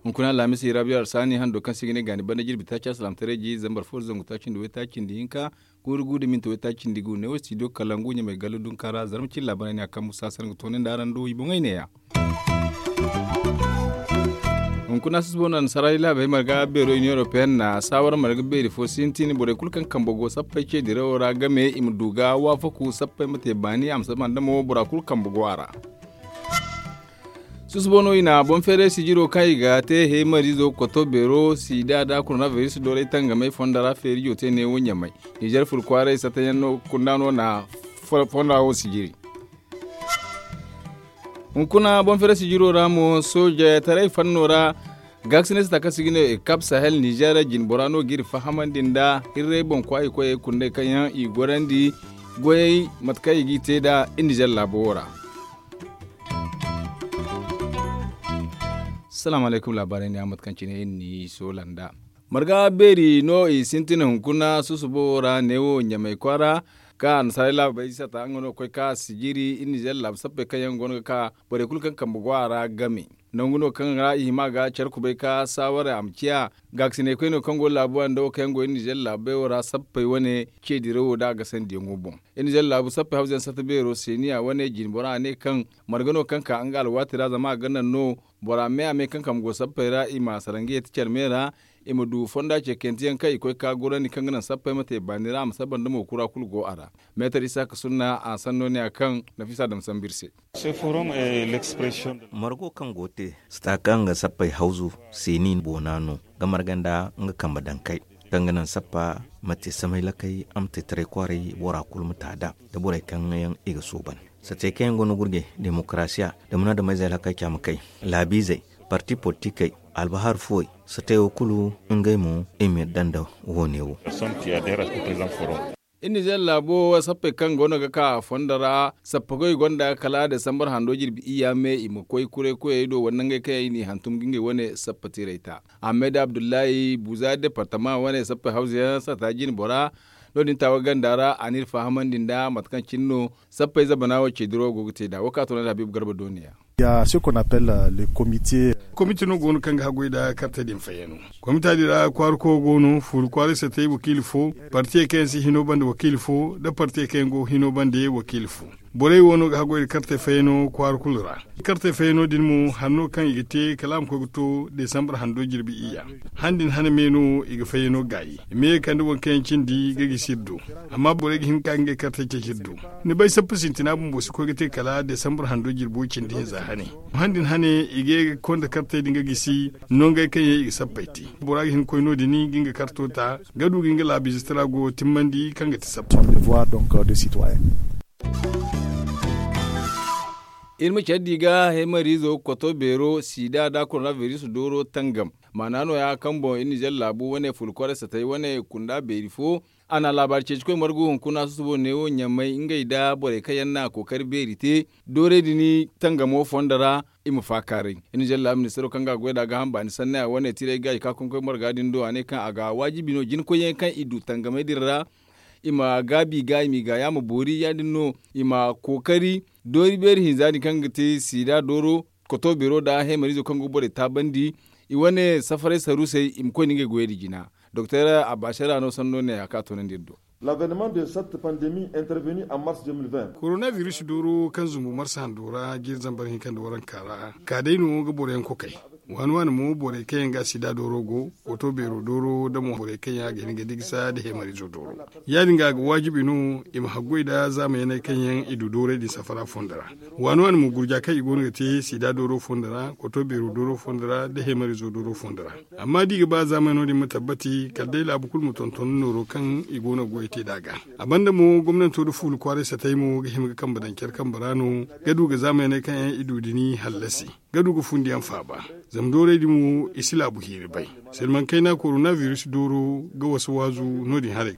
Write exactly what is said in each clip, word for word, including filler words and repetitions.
Hunkuna alhamis i rabiyo arsaani hando kaŋ se i ga ne gaani banda jirbi taaci alsilaamataray ji zambar fo da zangu taaci nda waytaaci nda hinka, guuru gu da minti waytaaci nda gu ne wo studio kalangu ɲamay galla dunka ra zarma cine laabaray ne a kaŋ musa sar ga toonandi araŋ do i boŋey neeya. Hunkuna susubo no annasaara laabey marga beero union européenne na saawara marga beeri fo sintin borey kulu kaŋ kambe go sappey ce dirawo ra game i ma du ga waafaku sappey ma te baani a ma saba nda mo bora kulu kambe go a ra. Susubo no i na boŋ feeray sijiro kaŋ i ga te heemariizo koto beero siida da koronabiris doray tangamay fonda ra feerijo te neewo ɲamay. Nizer fur kwaaray satayaŋ no kunda no na fonda wo sijiri. Hunkuna boŋ feeray sijiro ra mo soojetaray fanno ra gaakasinay sata kaŋ se i ga ne ekap sahel nizer jinbora no ga iri fahamandi nda hirray boŋ kwaayi koyey kundey kaŋ yaŋ i gorandi goyey mate kaŋ i g'i te nd'a iri nizer laabo wo ra. Salaamu alaykum laabaarey ne a mate kaŋ cine iri n'i soola nd'a. Marga beeri no i sintin hunkuna susubo wo ra neewo ɲamay kwaara kaŋ annasaarey laabey sata nga no ga koy ka sijiri iri nizer laabu sappey kaŋ yaŋ goono ga ka borey kulu kaŋ kambe go a ra game. Nangu no kaŋ ra i hima ga care kubay ka saawara a ma ciya gaakasinay koyne kaŋ go laabuwa nda wo kaŋ yaŋ go iri nizer laabey wo ra sappey wane ce dirawo da a gasandiyaŋo boŋ. Iri nizer laabu sappey hawzayaŋ sata beero seeniya wane jinbora a ne kaŋ marga no kaŋ ka nga alwaati ra zama a ga naŋ no bora me a me kaŋ kambe go sappey ra i ma sara nga yeeti care me ra i ma du fonda ceekanteyaŋ kaŋ i koy ka gorandi kaŋ ga naŋ sappey ma te baani ra a ma saba nda mo kura kulu go a ra. Meetar isaaka sunna a sanno ne a kaŋ nafisa dam sambu iri se. Margo kaŋ go te sata kaŋ ga sappey hawzu seeni boona no ga marga nda nga kambe dankay kaŋ ga naŋ sappa ma te samay lakay a ma te taray kwaaray bora kulu ma ta da da borey kaŋ yaŋ i ga sooban. Satey kaŋ yaŋ go no gurje demokarasiya da munaadamey zay lakay caama kay laabiizey parti politikey albahar fuwey satey wo kulu ngey mo i ma yadda nda wo-ne wo. Iri nizer laabo sappey kaŋ goono ga ka fondo ra sappa goy gonda kala desambar hando jirbi iyya me i ma koy kuray koyey do wala nangey kaŋ yaŋ i n'i hantum ga ngey wane sappa tiirey ta. Ahmed abdullahi buza departama wane sappey hawza yaŋ sata jine bora no- din taawa ganda ra a n'iri fahamandi nda mate kaŋ cine no sappey zabana wo ceediro go ga te nd'a wo ka toonandi habiibu garba dooniya. Komite no go no kaŋ ga haggoy nda kartey din fayyano. Komita din ra kwaara koyo go no fuuri kwaaray satey wakiili fo, partiyey kaŋ yaŋ si hino bande wakiili fo nda partiyey kaŋ yaŋ go hino bande wakiili fo. Borey wo no ga haggoy nda kartey fayyano kwaara kulu ra. Kartey fayyano din mo hanno kaŋ i ga te kala a ma koy ga to desambar hando jirbi iyya. Han din hane me no i ga fayyano gaayi i ma ye ga kande waŋ kaŋ yaŋ cindi ga gisi iri do. Amma borey ga hin ga ka ngey kartey ceeci iri do. Ni bay sappa sintina bumbo si koy ga te kala desambar hando jirbo cindi hinza hane. Han din hane i ga ye ga konda kartey din ga gisi nongey kaŋ yaŋ i ga sappey te. Bora ga hin ga koy no- din ga nga karto ta ga du ga nga laabiize tira go timmandi kaŋ ga ti sappa. Iri ma care di ga heemariizo koto beero siida nda koronabiris dooro tangam. Maana nooya kaŋ boŋ iri nizer laabu wane fulkwaray satey wane kunda beeri fo. A na laabaari ceeci koy margu hunkuna susubo neewo ɲamay ngey nda borey kaŋ yaŋ na kookari beeri te doorey din tangamo fondo ra. I ma faakaaray iri nizer laabu ministaro kaŋ ga a goy nd'a gaaham baani sannaya wane tiray gaayi ka koy marga din do a ne kaŋ a ga waajibi no jinkoyyaŋ kaŋ i du tangamey din ra. I ma gaabi i ga i m'i gaaya ma boori ya- din no i ma kookari doori beeri hinza din kaŋ ga te siida dooro koto beero nda heemariizo kaŋ go ga borey taabandi. I wane safaray saruusey i ma koy nda ngey goyey din jina. Doktor abbasara no sanno ne a ka toonandi iri do. Koronabiris dooro kaŋ zumbu marsa hando ra jiiri zambar hinka nda waranka ra ka day no ga boroyaŋ kokay. Waani waani mo borey kaŋ yaŋ ga sida dooro go, koto beero dooro nda mo borey kaŋ yaŋ a ga hin ga digisa nda heemariizo dooro. Ya- din ga a ga waajibi no i ma haggoy nda zaamayaney kaŋ yaŋ i du doorey din safara fondo ra. Waani waani mo gurja kaŋ i go no ga te sida dooro fondo ra, koto beero dooro fondo ra nda heemariizo dooro fondo ra. Amma da i ga ba zaamano din ma tabbati kala day laabu kulu ma tonton nooro kaŋ i go no ga goy te nd'a ga. A banda mo gomnanto nda fuula kwaaray satay mo ga hima ga kambe daŋ care kambe ra no ga du ga zaamayaney kaŋ yaŋ i du din hallasi ga du ga fundiyaŋ faaba. Zama doorey din mo i si laabu hiiri bay. Selman kayna korona virus dooro ga wasa waazu no- din haray.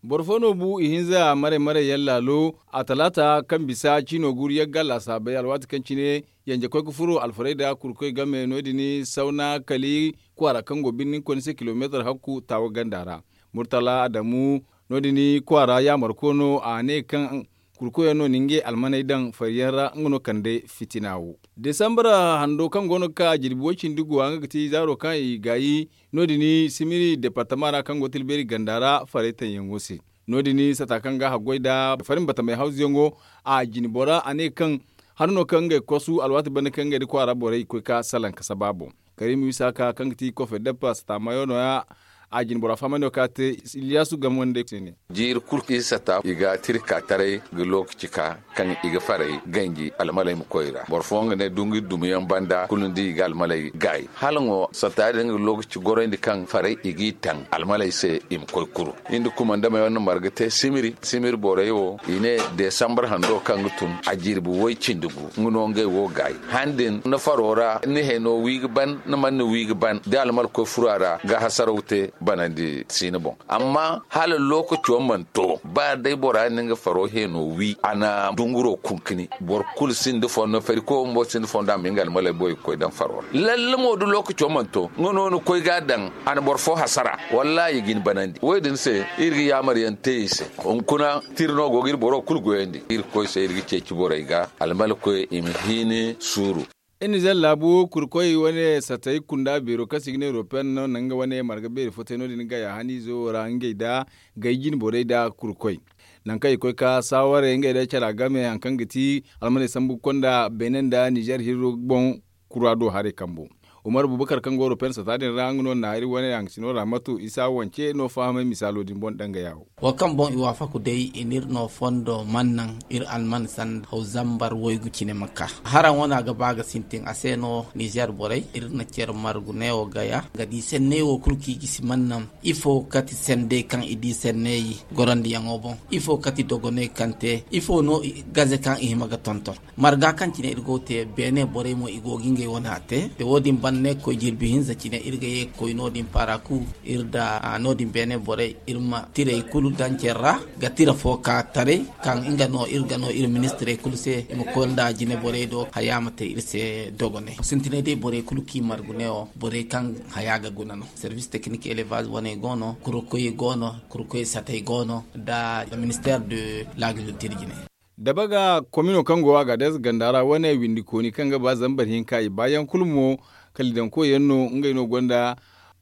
Boro fo no bu ihinza maray maray yaŋ laalo a talaata kaŋ bisa ciino guuru yagga laasaabey alwaati kaŋ cine yanje koy ga furo alfarayda kurkoy game no- din sawna kali kwaara kaŋ go birnin koyne se kilomeetar hakku taawa ganda ra. Murtala adamu no- din kwaara yaamarko no a ne kaŋ kurkoyaŋ no na ngey almaney daŋ fariyaŋ ra nga no kande fitina wo. Desambar hando kaŋ go no ga ka jirbi way cindi guwa nga ga ti zaaro kaŋ i gaayi no- din simiri departama ra kaŋ go tilbeeri ganda ra faray taŋyaŋo se. No- din sata kaŋ ga haggoy nda farin batamey hawzuyaŋo a jine bora a ne kaŋ hano no kaŋ ngey kosu alwaati banda kaŋ ngey nda kwaara borey koy ka salaŋ ka saba boŋ. Karim isaka kaŋ ga ti kofe deppa sata mayo no- ya a jine bora fahamay no kaŋ a te iliyasu game wande se ne. Jiiri kulu kaŋ i sata i ga tira ka taray ga lookaci ka kaŋ i ga faray ganji almaley ma koy ra boro fooyaŋ ga ne dungu i dumiyaŋ banda kulu ni di i ga almaley gaayi hala ŋo sata din ga lookaci goroyndi kaŋ faray i g'i taŋ almaley se i ma koy kuru. Iri nda kumandamey wane marga te simiri simiri borey wo i ne desambar hando kaŋ ga tun a jirbi way cindi gu nga no ngey wo gaayi han din ni faro ra ni heno wi ga ban ni mana ni wi ga ban da almal koy furo a ra ga hasaraw te banandi siina boŋ. Amma hala lookaco mana to ba day bora na nga faro heno wi a na dunguro kunkuni boro kulu sinda fondo fari koy bumbo sinda fondo a ma nga almaley boy ga koy daŋ faro ra lalle mo da lookaco mana to nga no ni koy ga a daŋ a na boro fo hasara. Wallahi i ga ni banandi wo- din se iri ga yaamar yaŋ te i se. Hunkuna tira no go ga iri boro kulu goyandi iri ga koy se iri ga ceeci borey ga almala koy i ma hiini suuru. Iri nizer laabu kurkoy wane satay kunda beero kaŋ se i ga ne european no na nga wane marga beeri fo te no- din gaya haniizo wo ra ngey nda gay jine borey nda kurkoy nangu kaŋ i koy ka saawarey ngey nda care game hari kaŋ ga ti almaney sambu ga konda beene nda nizer hirro boŋ. Kura do haray kambo umar bubakar kaŋ go european sata din ra nga no na iri wane haŋ sino ra mato isa wance no fahamay misaalo din boŋ dangaya wo. Wo kaŋ boŋ i waafaku day i na iri no fondo mana naŋ iri alman sanda haw zambar waygu cine ma ka. Haraŋ wane a ga ba ga sintin a se no nizer borey iri na care margu neewo gaya ga di senney wo kulu kaŋ i gisi mana naŋ ifo kati sendey kaŋ i di senney gorandiyaŋo boŋ ifo kati dogoney kaŋ te ifo no gaze kaŋ i hima ga tonton. Marga kaŋ cine iri go ga te beene borey mo i go ga ngey wane a te. Wo- din banda ne ga koy jirbi hinza cine iri ga ye ga koy no- din paara kulu iri nda no- din beene borey iri ma tirey kulu daŋ care ra ga tira fo ka taray kaŋ nga no iri ga no iri ministirey kulu se i ma koy nda jine borey do haya ma te iri se dogonay sintinay day borey kulu kaŋ i margu ne wo borey kaŋ haya ga guna no. Service technique élevage wane go no kurukoy go no kurukoy satay go no nda ministère de l'agriculture jine. Dabaga komino kaŋ go a ga des ganda ra wane windi kooni kaŋ ga ba zambar hinka i baayaŋ kulu mo kala i daŋ koyyaŋ no ngey no gonda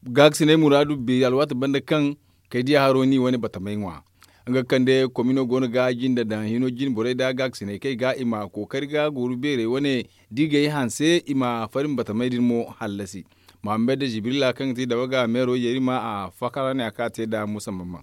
gaakasinay muraadu beeri alwaati banda kaŋ kay diya haro ni wane batamay ŋwa. Nga ga kande komino go no ga jinde daŋ hino jine borey nda gaakasinay kaŋ i ga i ma kookari ga gooru beerey wane da i ga ay hanse i ma fari ma batamay din mo hallasi. Muhammad jibrila kaŋ ga ti dabaga meero yeeri ma a fakara ne a ka te nda musa mamman.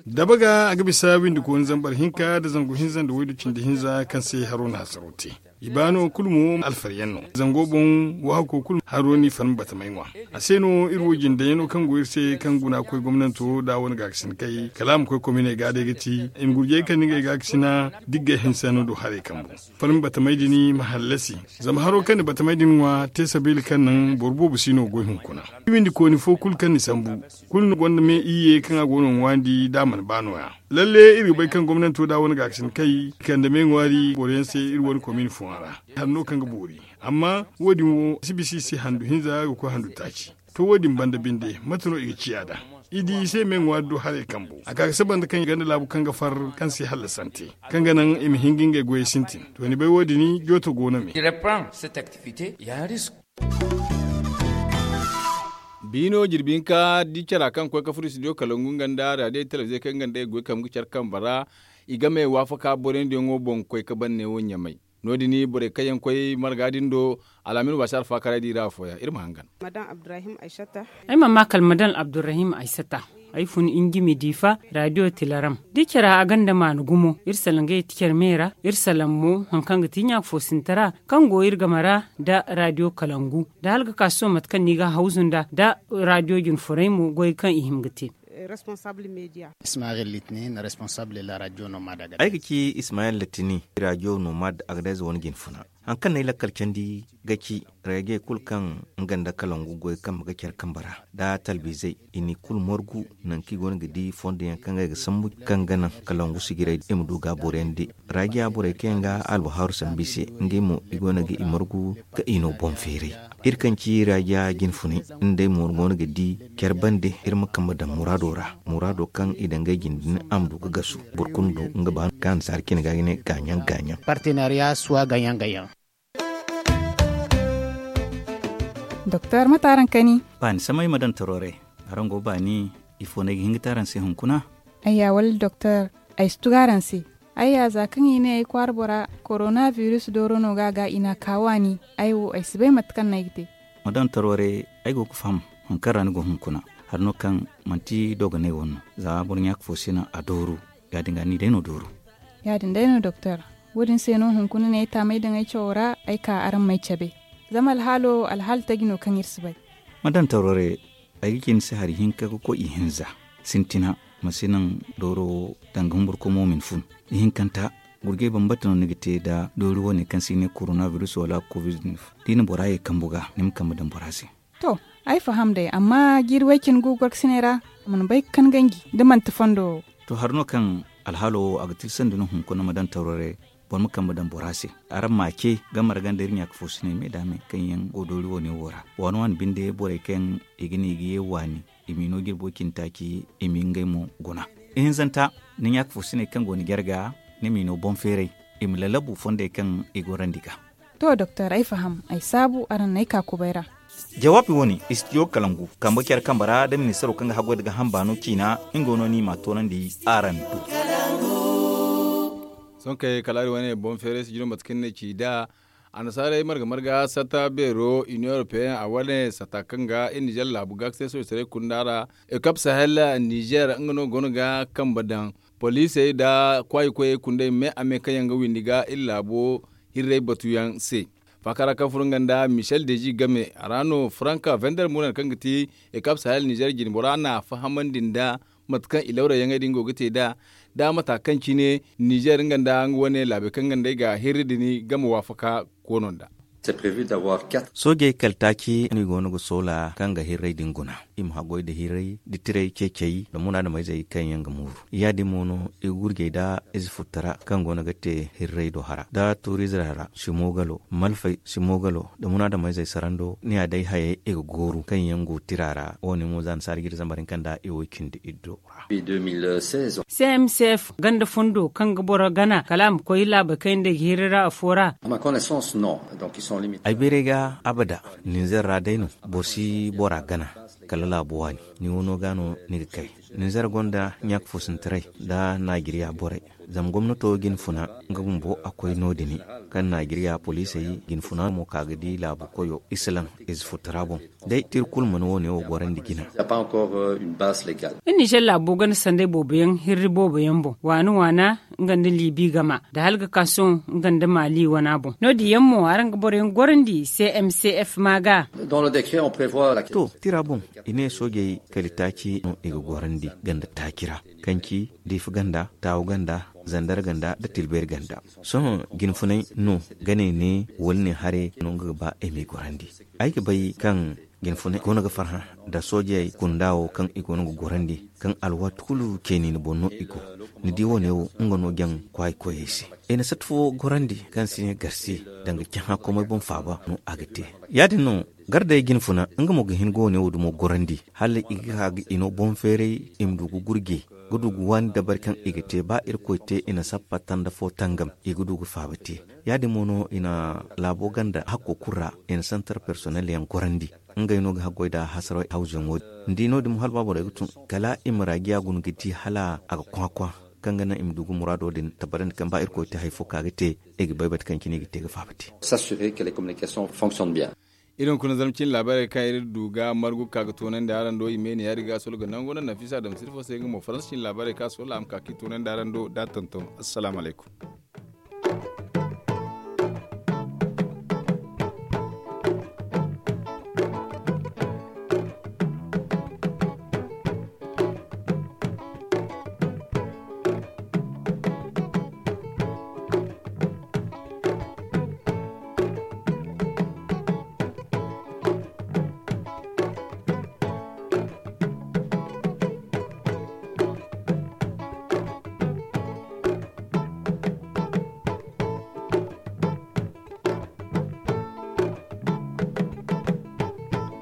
Dabaga a ga bisa windi kooni zambar hinka nda zangu hinza nda waydu cindi hinza kaŋ se haro na hasaro te. I ba no kulu mo alfariyaŋ no zango boŋ waahako kulu haro ni farmi batamay ŋwa. A se no iri wo jindayaŋo kaŋ go iri se kaŋ guna koy gomnanto nda a wane gaakasin kay kala a ma koy kominey ga day ga ti i ma gurjey kaŋ ni ga ay gaakasina diggay hinsa no do haray kambo. Farmi batamay din ma hallasi zama haro kaŋ ni batamay din ŋwa te sabeeli kaŋ naŋ boro boobo si no goy hunkuna. Windi kooni fo kulu kaŋ ni sambu kulu ni gonda me iyye kaŋ a go no ŋwaandi da a mana ba nooya. Lalle iri ga bay kaŋ gomnanto da wane gaakasin kay i kande me ŋwaari boro yaŋ se iri wane komin fooyaŋ ra. Hari no kaŋ ga boori amma wo- din wo si bisa i se handu hinza ga koy handu taaci. To wo- din banda binde mate no i ga ciya nd'a? I di i se me ŋwaari do haray kambo a ka ga saba nda kaŋ i gonda laabu kaŋ ga far kaŋ se hallasante kaŋ ga naŋ i ma hin ga ngey goyey sintin to ni bay wo- din jooto go no me. Biino jirbi hinka di cara kaŋ koy ka furo studio kalangu nga nda radio telebize kaŋ nga nda ay goy kambe ga care kambe ra. I game waafaka boroyandiyaŋo boŋ koy ka ban neewo ɲamay. No- din borey kaŋ yaŋ koy marga din do al'amin waasi alfaakaray di ra afooyaŋ iri ma hangan. Ay mana ma kala madame abdurrahim aysata. Ay fun injimi diifa radio tilaram da i care a gonda maana gumo iri salaŋ ga yeti care me ra iri salaŋ mo hari kaŋ ga ti ɲaaka fo sinti ra kaŋ go iri game ra nda radio kalangu nda hala ga ka sohõ mate kaŋ no i ga hawzu nda nda radio jinfuray mo goy kaŋ i hima ga te. Ismail Litini, responsable de la radio nomad. Ay ga ci Ismail Litini, radio nomad, agadez wane jinfuna. Haŋ kaŋ no ay lakkal candi ga ci rage kulu kaŋ nga nda kalangu goy kambe ga care kambe ra, da talbizey i n'i kulu margu. Nangu kaŋ i go no ga di fondo yaŋ kaŋ ga ay ga sambu kaŋ ga naŋ kalangu sijirey i ma du ga a boriyandi. Raajiya borey kaŋ yaŋ ga alwahaaru sambu i se, ngey mo i go no ga i margu ka i no boŋ feeray. Iri kaŋ ci raajiya jinfunay, nd'ey mo go no ga di care bande iri ma kambe daŋ muraado ra. Muraado kaŋ i daŋ ngey jinde din a ma du ga gasu. Boro kulu du nga ba kaŋ annasaara cine ga ga ne gaaɲaŋ gaaɲaŋ. Partenariya suwa gaaɲaŋ gaaɲaŋ. Doktor, mate araŋ kani? Baani samay ma daŋ toroore. Araŋ go baani, ifo no ay ga hin ga te araŋ se hunkuna? Ayya, wala doktor, ay si tugu araŋ se. Ayya, za kaŋ i ne ay kwaara bora, korona biris dooro no ga a ga i n'a ka waani. Ay wo, ay si bay mate kaŋ no ay ga te. Ma daŋ toroore, ay go ga faham haŋ kaŋ ra ni go hunkuna. Hari no kaŋ manti dogonay wane no. Za boro ɲaaka fo si naŋ a dooru. Ya-din ga ni day no dooru. Ya-din day no doktor. Wo-din se no hunkuna ne ay taamay daŋ ay cawo ra, ay ka araŋ m'ay cabe. Zama alhaalo alhaali taji no kaŋ iri si bay. Ma daŋ toroore, ay ga ci ni se hari hinka ga koy ihinza. Sintina, ma si naŋ dooro wo danga humburkomo ma ni fun. Ihinkanta, gurjay bambata no ni ga te nda doori wane kaŋ se i ne korona biris wala covid. Da i na bora ye kambu ga, ni ma kambe daŋ bora se. To, ay faham day, amma jiiri way cine gu gorkasiney ra, a mana bay ga kan ganji da manti fondo wo. To, hari no kaŋ alhaalo wo a ga tilasandi no hunkuna ma daŋ toroore, boro ma kambe daŋ bora se. Araŋ ma a ce, gamara ganda iri ɲaaka fo siney me da me kaŋ yaŋ go doori wane wo ra. Waani waani binde borey kaŋ i ga ne i ga ye waani, i m'i no jirbo cine taaci, i m'i ngey mo guna. Ihinzanta, ni ɲaaka fo siney kaŋ go ni jarga, ni m'i no boŋ feeray, i ma lalabu fondey kaŋ i gorandi ga. To doktor, ay faham, ay saabu araŋ n'ay ka kubay ra. Jawaabi wane, istidiyo kalangu kambe care kambe ra da ministaro kaŋ ga haggoy da ga hamba no ciina, nga no ni ma toonandi araŋ do. Sohõ kay kala iri wane boŋ feeray si jino mate kaŋ ni ne ci nd'a. Annasaarey marga marga satta beero union européen a wane satta kaŋ ga iri nizer laabu ga se sohõ taray kunda ra. Ekap sahel nizer nga no go no ga kambe daŋ poliisey nda kwaayi koyey kundey me a me kaŋ yaŋ ga windi ga iri laabo hirray batuyaŋ se. Faakara kaŋ furo nga nda michel dezi game a ra no franka vender munan kaŋ ga ti ekap sahel nizer jine bora n'a fahamandi nda mate kaŋ i lawra yaŋey din go ga te nd'a, da mata kaŋ cine nizer nga nda nga wane laabey kaŋ nga nd'ey ga hirri din game waafaka koono nd'a. Soojey kala taaci no i go no ga soola kaŋ ga hirray din guna. I ma haggoy nda hirray nda tiray ceecey nda munaadameyzey kaŋ yaŋ ga mooru. Ya-din mo no i ga gurjey nda ize futtara kaŋ go no ga te hirray do hara nda tuuriizey ra simoogalo malfey simoogalo nda munaadameyzey sarando ni ya day hayey i ga gooru kaŋ yaŋ go tira ra. Wo-ne mo za annasaara ga iri zambar hinka nda i wo cindi iddo ra. C M C F ganda fondo kaŋ ga boro gana kala a ma koy laabey kaŋ yaŋ day ga hirri ra afo ra. Ay bayray ga abada ninzer ra day no boro si bora gana kala laabu waani. Ni wano ga no ni ga kay ninzer gonda ɲaaka fo sintiray nda naajiriya borey. Zama gomnato ga ni funa nga bumbo a koy no- din kaŋ naajiriya poliisey ga ni funa mo ka ga di laabu koyo isilaŋ ize futtara boŋ. Day tira kulu mana wo- ne wo gorandi jina. Iri nizer laabo ganda sanday boobo yaŋ hirri boobo yaŋ boŋ waana waana nga nda liibi gama nda hala ga ka sohõ nga nda maali wana boŋ no- din yaŋ mo araŋ ga boro yaŋ gorandi c m c f ma ga. To tira boŋ i ne soojey kala taaci no i ga gorandi ganda taaci ra kaŋ ci diifa ganda taawu ganda zandar ganda nda tilbeeri ganda. Sohõ jinfunay no gane ne wala ne hare no nga ga ba i m'i gorandi. Ay ga bay kaŋ jinfunay go no ga farhã nda soojey kunda wo kaŋ i go no ga gorandi kaŋ alwaati kulu ceeni ni boŋ no i go. Ni di wo- ne wo nga no jaŋ kwaayi koyey se. I na sata fo gorandi kaŋ si ne garse danga cahã komey boŋ faaba no a ga te. Ya- din no garday jinfuna nga mo ga hin ga wo- ne wo dumo gorandi hala i ga ka ga i no boŋ feeray i ma du ga gurje ga du ga waani dabari kaŋ i ga te ba irkoy te i na sappa tanda fo tangam i ga du ga faaba te. Ya- din mo no i na laabo ganda hakko kulu ra i na santar personel yaŋ gorandi. Ngey no ga haggoy nda hasara hawzuyaŋo din ni di no- din mo hala ba borey ga tun kala i ma raajiya guna ga di hala a ga kwakwa kaŋ ga naŋ i ma du ga muraado din tabbatandi kaŋ ba irkoy te hari fo ka ga te i ga bay mate kaŋ cine i ga te ga faaba te. Iri hunkuna zarma cine laabaarey kaŋ iri du ga margu ka ga toonandi araŋ do i me ne ya- din ga a solo ga nango naŋ nafisa dam sirfo se nga mo faransa cine laabaarey kaŋ a solo a ma ka ka i toonandi araŋ do da tonton. Assalaamu alaykum.